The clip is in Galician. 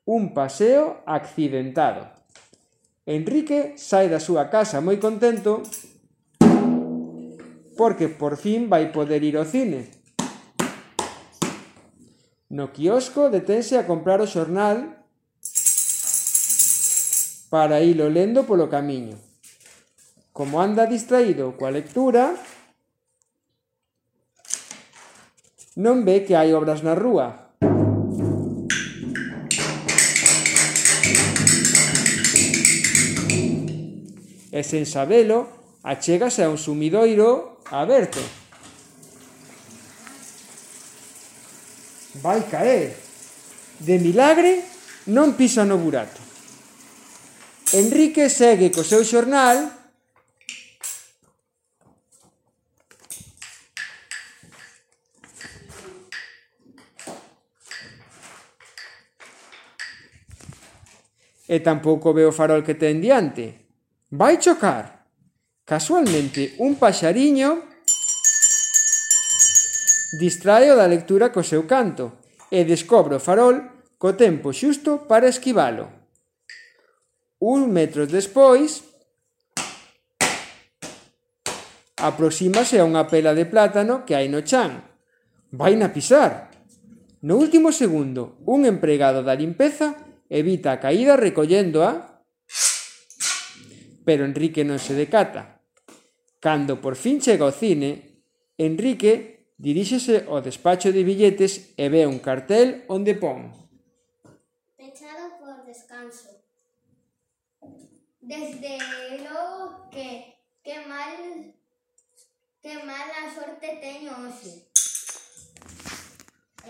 un paseo accidentado. Enrique sai da súa casa moi contento porque por fin vai poder ir ao cine. No quiosco detense a comprar o xornal para ilo lendo polo camiño. Como anda distraído coa lectura, non ve que hai obras na rúa. E sen sabelo, achégase a un sumidoiro aberto. Vai caer. De milagre, non pisa no burato. Enrique segue co seu xornal e tampouco ve o farol que ten diante. Vai chocar. Casualmente, un paxariño distrae da lectura co seu canto e descobre o farol co tempo xusto para esquivalo. Un metro despois, aproxímase a unha pela de plátano que hai no chan. Vaina pisar. No último segundo, un empregado da limpeza evita a caída recolléndoa, pero Enrique non se decata. Cando por fin chega ao cine, Enrique diríxese ao despacho de billetes e ve un cartel onde pon: pechado por descanso. Desde logo que mala sorte teño hoxe.